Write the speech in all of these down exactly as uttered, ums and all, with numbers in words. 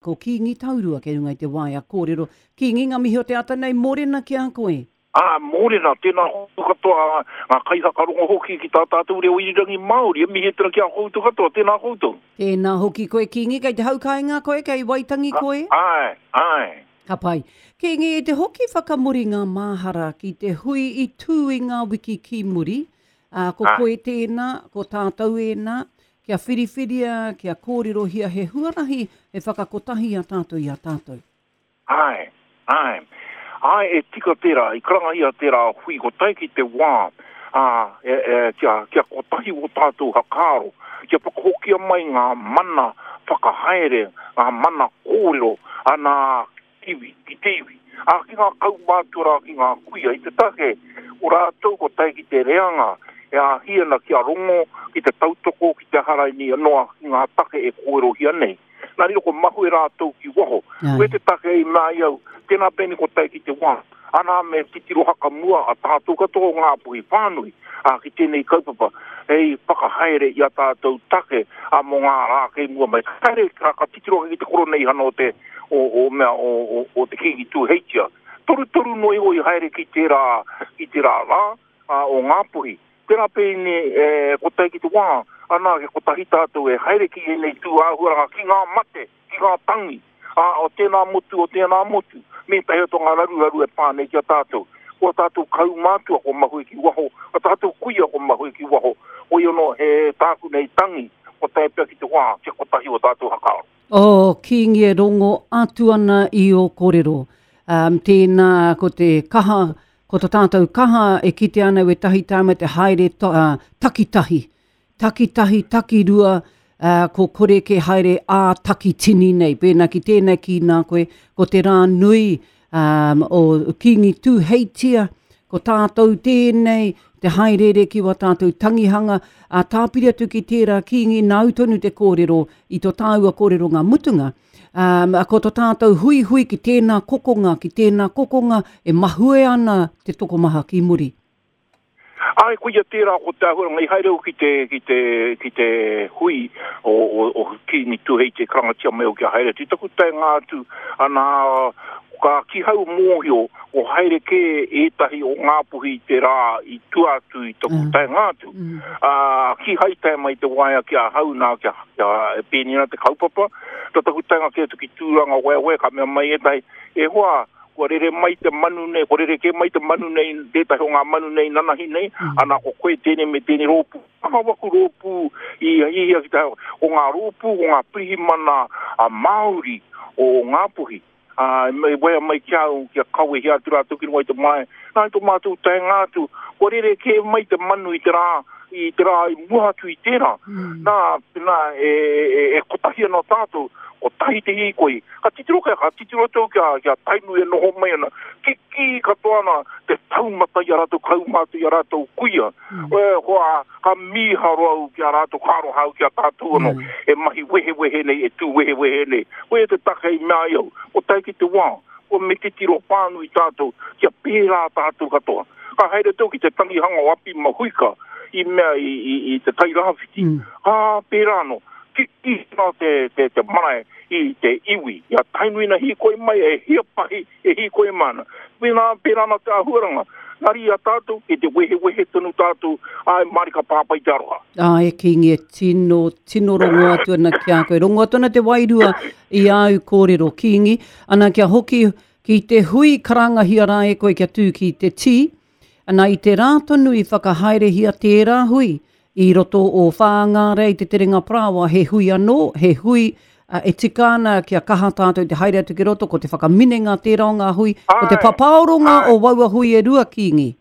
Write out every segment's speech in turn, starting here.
Ko Kīngi Taurua kei runga i te waea kōrero. Kīngi, ngā mihi o te ata nei, mōrena ki a koe. Ā, mōrena, tēnā koutou katoa, ngā kaihakarongo hoki ki tā tātou reo irirangi Māori, e mihi atu ana ki a koutou katoa, tēnā koutou. Tēnā hoki koe Kīngi, kei te hau kāinga koe, kei Waitangi koe? Āe, āe. Ka pai. Kīngi, i te hoki whakamuri ngā māhara ki te hui i tū i ngā wiki ki muri, ā, ko koe tēnā, ko tātou ēnā, kia whiriwhiria, kia kōrerohia he huarahi e whakakotahi a tātou i a tātou. Āe, āe. Āe, e tika tērā, i karangahia tērā hui ko tae ki te wā, ā, e, e, kia, kia kotahi o tātou hakaaro, kia whakahokia mai ngā mana whakahaere, ngā mana kōrero, ana iwi, ki te iwi. Ā, ki ngā kaumātua rā, ki ngā kuia, i te take, o rātou ko tae ki te reanga, e āhi ana kia rongo, ki te tautoko, ki te haraini noa, ki ngā take e kōrerohia nei. Nā riro ko mahue rātou ki waho. Koe te take i mea ai au, tēnā pēne ko tae ki te wā. Ana me titiro hakamua a tātou katoa o Ngāpuhi whānui, ā, ki tēnei kaupapa, hei whakahaere i a tātou take, ā, mō ngā rā kei mua mai. Ka haere, ka, ka titiro ake ki te koroneihana o te, o, o mea, o, o, o te Kīngi Tūheitia. Torutoru noa iho i haere ki tērā, ki tērā rā, ā, o Ngāpuhi. Tērā pēne, e, ko tae ki te wā, ana, ke kotahi tātou e haere ki ēnei tū āhuaranga, ki ngā mate, ki ngā tangi, ā, o tēnā motu, o tēnā motu, me ētahi atu o ngā raruraru e pā nei ki a tātou. Ko a tātou kaumātua ko mahue ki waho, a tātou kuia ko mahue ki waho, hoi anō he tāku nei tangi, ko tae pea ki te wā, kia kotahi o tātou hakaaro. Oh, Kīngi e rongo atu ana i ō kōrero. Um, tēnā, ko te kaha, ko tā tātou kaha e kite ana wētahi tāma te haere to, uh, takitahi. Takitahi, takirua, uh, ko kore ke haere ā takitini nei. Pēnā ki tēnā ki nā koe, ko te rā nui um, o Kīngi Tūheitia, ko tātou tēnei, te haerere ki wā tātou tangihanga, a tāpiri atu ki tērā Kīngi nāu tonu te kōrero i tō tāua kōrero ngā mutunga. Um, ko tō tātou huihui ki tēnā kokonga, ki tēnā kokonga e mahue ana te tokomaha ki muri. Ai, koia tērā ko te āhuaranga i haere au ki te, ki te, ki te hui o, o, o Kīngi Tūheitia karangatia mai au kia haere atu. I taku taenga atu, ana, ka kihau mōhio o haere kē ētahi o Ngāpuhi te rā i tua atu i taku mm. taenga atu. Mm. Uh, kihai tae mai te waea ki ahau nā, kia, kia e pēni ana te kaupapa. Tō taku taenga kē atu ki Tūranga waewae, ka mea mai ētahi, e hoa, kua rere mai te manu nei, kua rere kē mai te manu nei, tētahi o ngā manu nei nanahi nei, mm. ana ko koe tēnei me tēnei rōpū. Aha waku rōpū i hihia ki te, o ngā rōpū, o ngā pirihimana a Māori o Ngāpuhi. Ā, e wea mai ki au, kia kawehia atu rātou ki runga i te mae. Nā, i tō mātou taenga atu, kua rere kē mai te manu i te rā, i te rā i mua atu i tērā. Mm. Nā, nā, e, e, e kotahi ana tātou, kotahi te hīkoi. Ka titiro kia, ka titiro atu kia, kia Tainui e noho mai ana. Kikī katoa ana te taumata i a rātou kaumātua, i a rātou kuia. Mm. E, hoa, ka mīharo au ki a rātou, ka aroha au ki a tātou anō, mm. e mahi wehewehe nei, e tū wehewehe nei. Koia te take i mea ai au, ko tae ki te wā, kua me titiro whānui tātou, kia pērā tātou katoa. Ka haere tau ki te tangihanga o Api Mahuika, i mea i, i, i te Tairāwhiti, mm. ka pērā anō, kikī ana te, te, te marae i te iwi, i a Tainui na hīkoi mai, e hia pahi e hīkoi mai ana. Pēnā, pērā ana te āhuaranga. Engari i a tātou, kei te wehewehe tonu tātou, āe mārika pāpai te aroha. Āe, Kīngi, e tino, tino rongo atu ana ki a koe. Rongo atu ana te wairua i āu kōrero, Kīngi. Ana kia hoki ki te hui karangahia rā e koe kia tū ki te tī. Ana i te rā tonu i whakahaerehia tērā hui i roto o Whāngārei te Terenga Parāoa, he hui anō, he hui e tika ana kia kaha tātou te haere atu ki roto, ko te whakaminenga tērā o ngā hui, ko te papaoronga o waua hui e rua, Kīngi.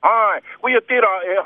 Āe, koia tērā e,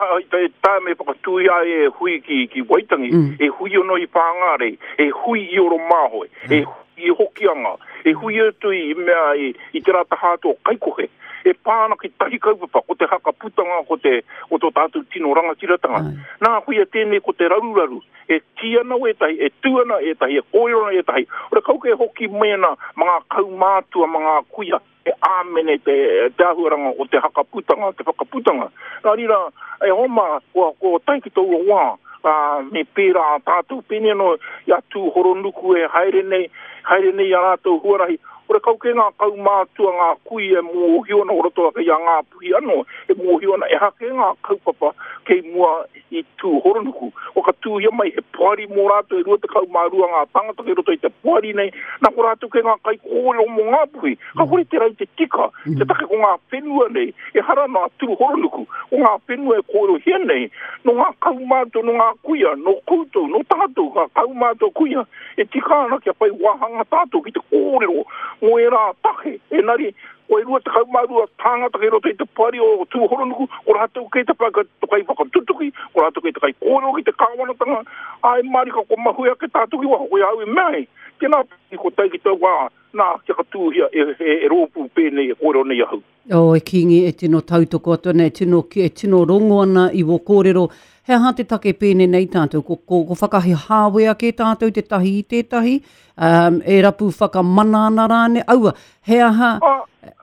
e tae me whakatūi ai e hui ki, ki Waitangi, mm. e hui ono i Whāngārei, e hui i Oromāhoe, e hui i Hokianga, e hui atu i mea i, i te rā taha atu o Kaikohe, E pā ana ki tahi kaupapa, ko te hakaputanga, ko te o tō tātou tino rangatiratanga. Nā, koia tēnei ko te raruraru, e kī ana wētahi, e tū ana ētahi, e kōrero ana ētahi. Ora kauka e hoki mai ana ma ngā kaumātua, ma ngā kuia, e āmene te, te ahuaranga o te hakaputanga, te whakaputanga. Nā rira, e homa, kua, kua tae ki taua wā, ā, me pērā a tātou, pēnei anō i a Tūhoronuku e haere nei, haere nei a rātou huarahi. Ora kau ke ngā kaumātua, ngā kui e mōhio ana o roto ake i a Ngāpuhi anō, e mōhio ana e hake ngā kaupapa kei mua i Tūhoronuku. O ka tūhia mai he poari mō rātou e rua tekau mā rua ngā tāngata kei roto i te poari nei, nā ko rātou kei ngā kaikōrero mō Ngāpuhi. Ka kore te rau te tika, te take ko ngā whenua nei, e hara nā Tūhoronuku, ko ngā whenua e kōrerohia nei, nō ngā kaumātua, nō ngā kuia, nō koutou, nō tātou, ngā kaumātua kuia, e tika ana kia whai wāhanga tātou ki te kōrero mō ērā take. Engari, ko e rua tekau mā rua tāngata kei roto i te poari o Tūhoronuku, ko rātou kei te kai whakatutuki, ko rātou kei te kai kōrero ki te kāwanatanga, ai marika ko mahue ake tātou ki waho, ko au i mea ai. Tēnā, ko tai ki tau wā, nā, kia katūhia e, e, e rōpū pēnei e kōrero nei ahau. O, e Kīngi, e tino tautoko atu ana, e tino, e tino rongo ana i wō kōrero. He aha te take pēnei nei tātou, ko, ko, ko whakahāwea ke tātou te tahi i tētahi, um, e rapu whakamana ana rāne, aua, he aha... A,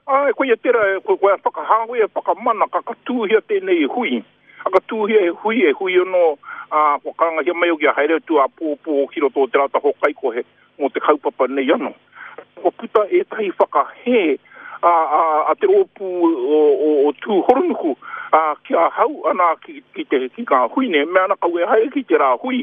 a, koia tērā, ko, ko whakahāwea, whakamana, ka katūhia tēnei hui. A katūhia e hui, e hui anō, a, kua karangahia mai o kia haere atu a pōpō ki roto o te rata hokaikohe mō te kaupapa nei anō. Kua puta ētahi whakahē a, a, a te rōpū o, o, o Tūhoronuku, a, ki ahau ana ki, ki, te, ki ngā hui nei, mea ana kau e haere ki te rā hui,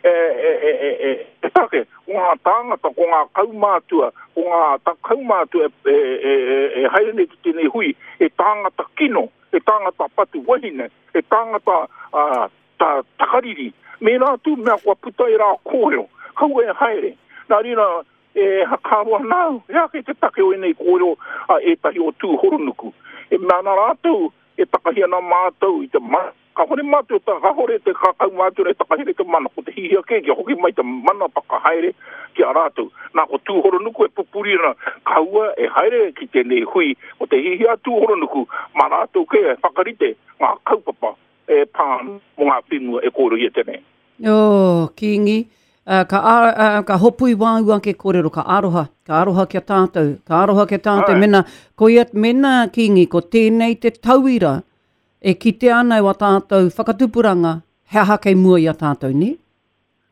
e, e, e, e, e, e take, ko ngā tāngata, ko ngā kaumātua, ko ngā ta, kaumātua e, e, e, e, e haere nei ki tēnei hui, e tāngata kino, e tāngata patu wahine, e tāngata a, ta, takariri, me rā tū mea kua puta e rā kōrero, kau e haere. Nā rira, e hakaroa nāu, e ake te take o enei kōrero a ētahi o Tūhoronuku. E mea ana rātou, e takahi ana mātou i te mana. Ka hore mātou, ta, ka hore te kakau mātou e takahi te mana, ko te hihia kē, kia hoki mai te mana whakahaere ki a rātou. Nā, ko Tūhoronuku e pupuri ana, kaua e haere ki tēnei hui, ko te hihia Tūhoronuku, mā rātou kē e whakarite ngā kaupapa e pā mō ngā whenua e kōrero tēnei. O, Kīngi, Uh, ka, uh, ka hopu i wāu ake kōrero, ka aroha, ka aroha kia tātou, ka aroha kia tātou. Mena, koia, mena Kīngi, ko tēnei te tauira e kitea ana e wā tātou whakatupuranga, he aha kei mua i a tātou, ne?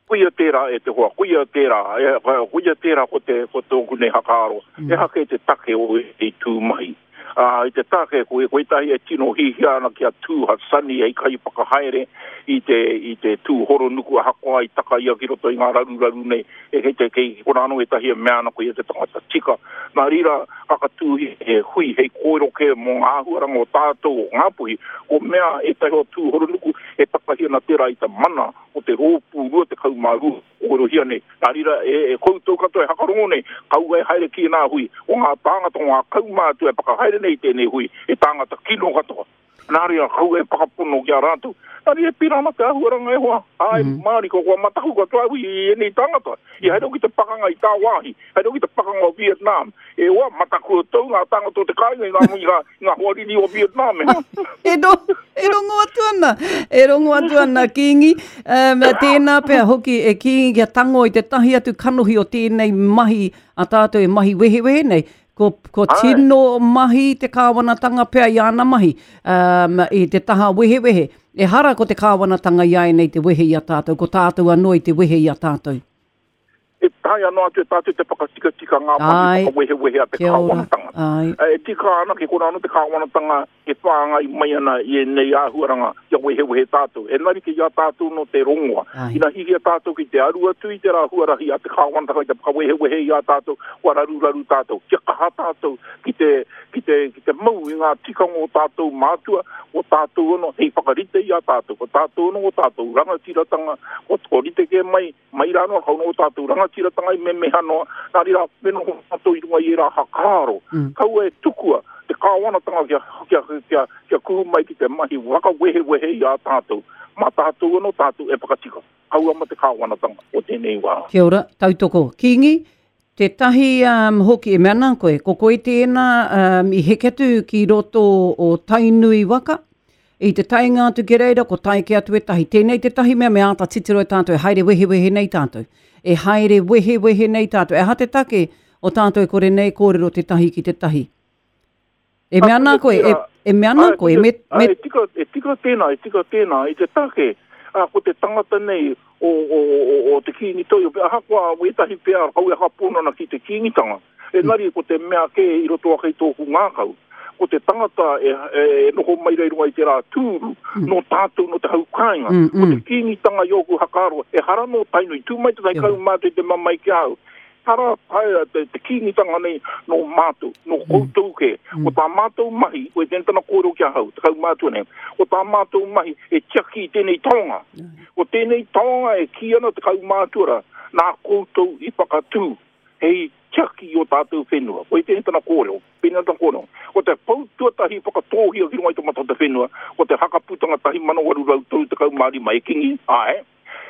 Koia tērā e te hoa, koia tērā, e, koia tērā ko te, ko tōku nei hakaaro, mm. E hake te take o e tū mahi. Uh, i te take, ko, ko ētahi e tino hihia ana kia tū Hassani hei kai whakahaere i te, i te Tūhoronuku ahakoa i taka ia ki roto i ngā raruraru nei, e kei te kei kona anō ētahi e mea ana ko ia te tangata tika. Nā rira, kakatūhi e hui hei kōrero kē mō ngā āhuaranga o tātou o Ngāpuhi, ko mea ētahi o Tūhoronuku e takahi ana tērā i te mana o te rōpū rua tekau mā rua kōrerohia nei. Nā rira, e, e koutou katoa e hakarongo nei, kaua e haere ki ngā hui, o ngā tāngata, o ngā kaumātua e whakahaere nei tēnei hui, e tāngata kino katoa. Nā rira, kaua e whakapono ki a rātou. Nā rira, pērā ana te āhuaranga e hoa. Ai, mm. Māori, ko kua mataku katoa hui i enei tāngata. I haere ki te pakanga i tāwāhi, haere ki te pakanga o Vietnam. E hoa, mataku o tau ngā tāngata o te kāinga i ngā, i ngā, i ngā hoariri o Vietnam. E, e, ro, e rongo atu ana, e rongo atu ana, Kīngi. Um, tēnā pea hoki e Kīngi kia tango i te tahi atu kanohi o tēnei mahi a tātou e mahi wehewehe nei. Ko, ko tino mahi te kāwanatanga pea i ana mahi, um, i te taha wehewehe. E hara ko te kāwanatanga i ai nei te wehe i a tātou, ko tātou anō i te wehe i a tātou. E tae anō atu e tātou te whakatikatika ngā mahi whakawehewehe a te kāwanatanga. E tika ana ki kona anō te kāwanatanga e whāngai mai ana i enei āhuaranga kia wehewehe tātou. Engari ki a tātou no te rongoa. Ina hihia tātou ki te aru atu i te rā huarahi a te kāwanatanga i te whakawehewehe i a tātou, kua raruraru tātou. Kia kaha tātou ki te, ki te, ki te mau i ngā tikanga o tātou mātua, o tātou anō hei whakarite i a tātou, ko tātou anō o tātou rangatiratanga, ko, ko rite ke mai, mai rānoa, kau no o tātou rangatiratanga i memeha noa, nā rira me noho tātou i runga i ērā hakaaro. Mm. Kaua e tukua te kāwanatanga kia, kia, kia, kia kuhu mai ki te mahi whakawehewehe i a tātou. Mā tātou anō tātou e whakatika. Kaua ma te kāwanatanga o tēnei wā. Kia ora, tautoko. Kīngi, Tētahi um, hoki, e mea ana koe, ko koe tēnā um, i heke atu ki roto o Tainui waka, i te taenga atu ki reira, ko tae ke atu ētahi. Tēnei tētahi mea me āta titiro e tātou, e haere wehewehe nei tātou. E haere wehewehe nei tātou. E aha te take o tātou e kore nei kōrero tētahi ki tētahi. E mea ana koe, e, e mea ana koe, me, me... E tika, e tika tēnā, e tika tēnā, i te take, a, ko te tangata nei o, o, o, o te Kīngi Toi, ahakoa wētahi pea kau e haponana ki te Kīngitanga, engari ko te mea kē i roto ake i tōku ngākau, ko te tangata e, e, e noho mai rei runga i te rā tūru, mm. no tātou, no te hau kāinga, mm, mm. ko te Kīngitanga i ōku hakaaro, e hara no Tainui, tū mai te tai kau mātou i te mamai ki au, hara taea te, te Kīngitanga nei no mātou, no koutou ke, mm. ko tā mātou mahi, ko e tēnei tana kōrero ki ahau, te kaumātua nei, ko tā mātou mahi e tiaki i tēnei taonga. Mm. Ko tēnei taonga e kī ana te kaumātua rā, nā koutou i whakatū, hei tiaki i o tātou whenua. Ko e tēnei tana kōrero, pēnei tana kōrero. Ko te pou tuatahi whakatōhia ki runga i te mata o te whenua, ko te hakaputanga tahi mano waru rau toru tekau mā rima e kingi, ae,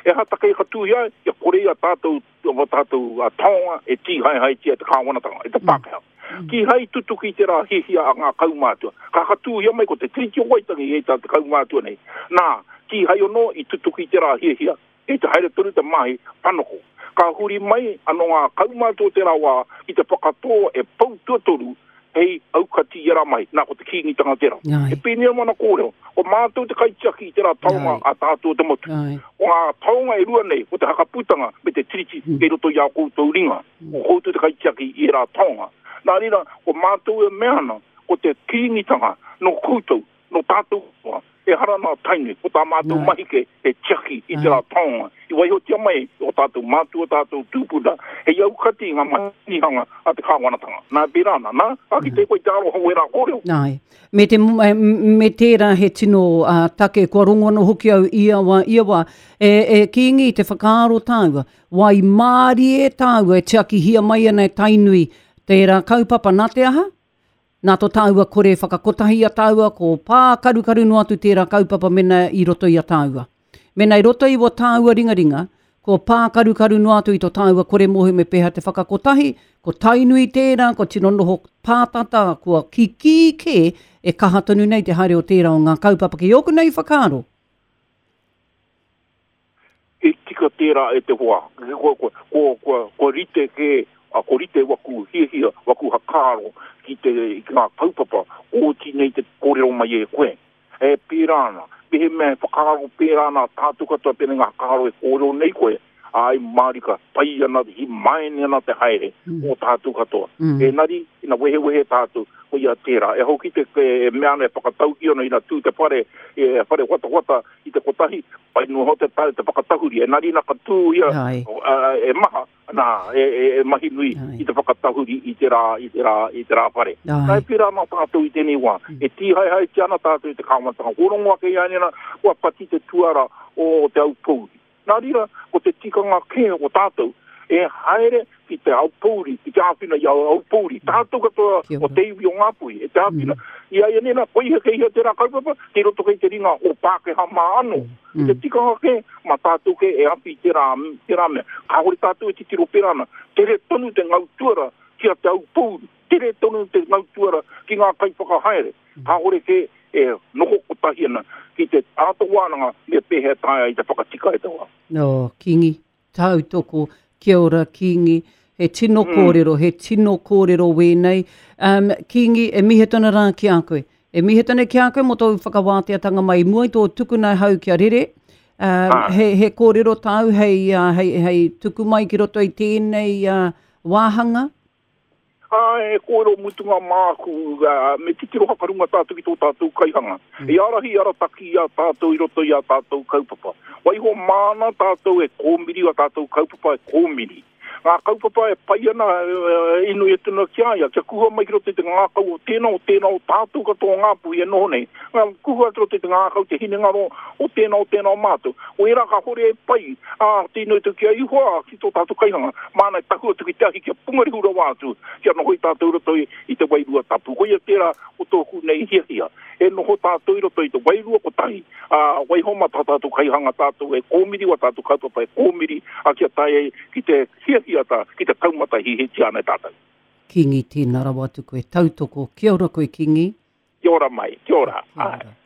e ha take i katuhia, ia kore ia tātou, o tātou a taonga e tīhaehaetia te kāwanatanga, e te Pākehā. Mm. Ki hai tutuki te rā hihia a ngā kaumātua. Ka katuhia mai ko te Tiriti o Waitangi e tā te kaumātua nei. Nā, ki hai ono i tutuki te rā hihia, e te haere tonu te mahi panoko. Ka huri mai anō ngā kaumātua te rā wā ki te whakatō e pou tuatoru hei aukati i era mai, nā ko te Kīngitanga tērā. E pēnei mana kōrero, ko mātou te kaitiaki i tērā taonga a tātou te motu. Ai. O ngā taonga e rua nei, ko te hakaputanga me te tiriti mm. kei roto i a koutou ringa. Ko koutou te kaitiaki i era taonga. Nā reira, ko mātou e mea ana, ko te Kīngitanga no koutou, no tātou, e hara nā Tainui, ko tā mātou mahi ke e tiaki i tērā taonga. I waihotia mai o tātou mātua, tātou tūpuna, hei aukati ngā mahihanga a te kāwanatanga. Nā pērā ana, nā, a ki te koe te aroha o ērā kōrero. Nā, me, te, me tērā he tino uh, take, kua rongo anō hoki au ia wā, ia wā, e, e Kīngi te whakaaro tāua, waimārie tāua e tiakihia mai ana e Tainui, tērā kaupapa nā te aha? Nā tō tāua kore whakakotahi a tāua, ko pā karukaru noa atu tērā kaupapa mena i roto i a tāua. Mena i roto i o tāua ringaringa, ko pā karukaru noa atu i tō tāua kore mohi me pēhea te whakakotahi, ko Tainui tērā, ko tino noho pātata, kua kikī kē, e kaha tonu nei te haere o tērā o ngā kaupapa ki ōku nei whakaaro. E tika tērā e te hoa, ko, ko, ko, ko, ko rite ke, a ko rite waku hiahia, waku hakaaro ki te ki ngā kaupapa, oti nei te kōrero mai e koe. E pērā ana, mehe mea whakaaro pērā ana tātou katoa pēnei ngā hakaaro e kōrero nei koe, ai mārika, pai ana, hi maene ana te haere mm. o tātou katoa. Mm. Engari, ina wehewehe tātou, ko ia tērā. E hoki te e mea ana e whakatauki ana ina tū te whare, e whare watawata i te kotahi, pai noa te te whakatahuri. Engari ina ka tū ia e maha, nā, e, e, e mahi nui i te whakatahuri i te rā, i te rā, i te rā whare. Nā e pērā ana tātou i tēnei wā. E tīhaehaetia ana tātou i te kāwanatanga. Ko rongo ake i a nena, kua pati te tuara o te Aupōuri. Nā reira, ko te tikanga kē o tātou, e haere ki te Aupōuri, ki te āwhina i Aupōuri. Tātou katoa o te iwi o Ngāpuhi, e te āwhina. Mm. I a ia nena, ko iha kei hea tērā kaupapa, kei roto kei te ringa o Pākehā mā anō. Mm. Te tikanga kē, mā tātou kē e awhi tērā, tērā mea. Kāore tātou e titiro pērā ana. Tere tonu te ngau tuara ki a te Aupōuri. Tere tonu te ngau tuara ki ngā kaiwhakahaere. Kāore kē e noho kotahi ana ki te āta wānanga me pēhea taea i te whakatika e te wā. No, Kīngi, tautoko, kia ora Kīngi, he tino mm. kōrero, he tino kōrero wēnei. Um, Kīngi, e mihi tona rā ki a koe. E mihi tona ki a koe mō tōu whakawāteatanga mai mua i tō tukuna hau kia rere. Um, ah. he, he kōrero tāu hei, uh, hei, hei tuku mai ki roto i tēnei uh, wāhanga? E kōrero mutunga māku, uh, me titiro hakarunga tātou ki tō tātou kaihanga. Mm. E arahi arataki i a tātou i roto i a tātou kaupapa. Waiho māna tātou e kōmiri, a tātou kaupapa e kōmiri. Ngā kaupapa e pai ana e inui e tuna ki a ia, kia kuhua mai ki roto i te ngākau o tēnā, o tēnā, o tātou katoa Ngāpuhi e noho nei. Ngā kuhua ki roto i te ngākau, te hinengaro o tēnā, o tēnā o mātou. O ērā ka hore e pai, ā, tēnā i te kia ihoa ki tō tātou kaihanga. Māna e tahu atu ki te ahi kia pungarihu rawa atu, kia noho i tātou roto i, i te wairua tapu. Koia tērā o tōku nei hiahia. E noho tātou i roto i te wairua kotahi, ā, waiho mā tā tātou kaihanga tātou e kōmiri, wa tātou kaupapa e kōmiri, a kia tae ai ki te hiahia hiata ki te taumata hihitia ana e tātou. Kingi, tēnā rawa atu koe. Tautoko. Kia ora koe, Kingi. Kia ora mai, kia ora. Kia ora.